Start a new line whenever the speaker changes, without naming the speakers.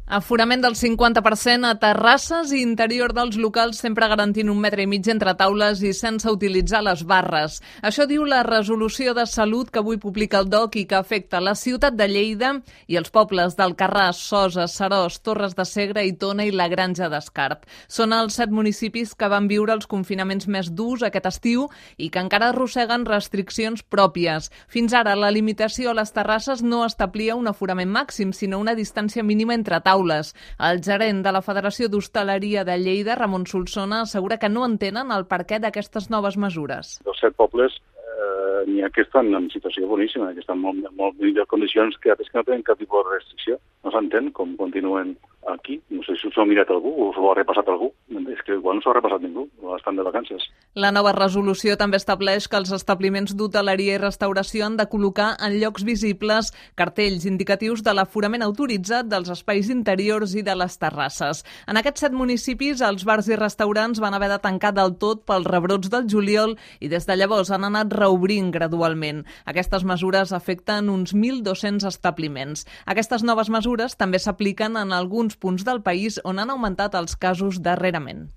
Aforament del 50% a terrasses i interior dels locals, sempre garantint 1,5 metres entre taules i sense utilitzar les barres. Això diu la resolució de salut que avui publica el DOC i que afecta la ciutat de Lleida i els pobles d'Alcarràs, Sosa, Seròs, Torres de Segre i Tona i la Granja d'Escarp. Són els 7 municipis que van viure els confinaments més durs aquest estiu i que encara arrosseguen restriccions pròpies. Fins ara, la limitació a les terrasses no establia un aforament màxim, sinó una distància mínima entre taules. El gerent de la Federació d'Hostaleria de Lleida, Ramon Solsona, assegura que no entenen el perquè d'aquestes noves mesures.
Dels 7 pobles n'hi ha que estan en situació boníssima, que estan en molt millors condicions que altres que no tenen cap tipus de restricció. No s'entén com continuen aquí. No sé si s'ho ha mirat algú o s'ho ha repassat algú. És que igual no s'ho ha repassat ningú, estan de vacances.
La nova resolució també estableix que els establiments d'hoteleria i restauració han de col·locar en llocs visibles cartells indicatius de l'aforament autoritzat dels espais interiors i de les terrasses. En aquests 7 municipis, els bars i restaurants van haver de tancar del tot pels rebrots del juliol i des de llavors han anat reobrint gradualment. Aquestes mesures afecten uns 1.200 establiments. Aquestes noves mesures també s'apliquen en alguns punts del país on han augmentat els casos darrerament.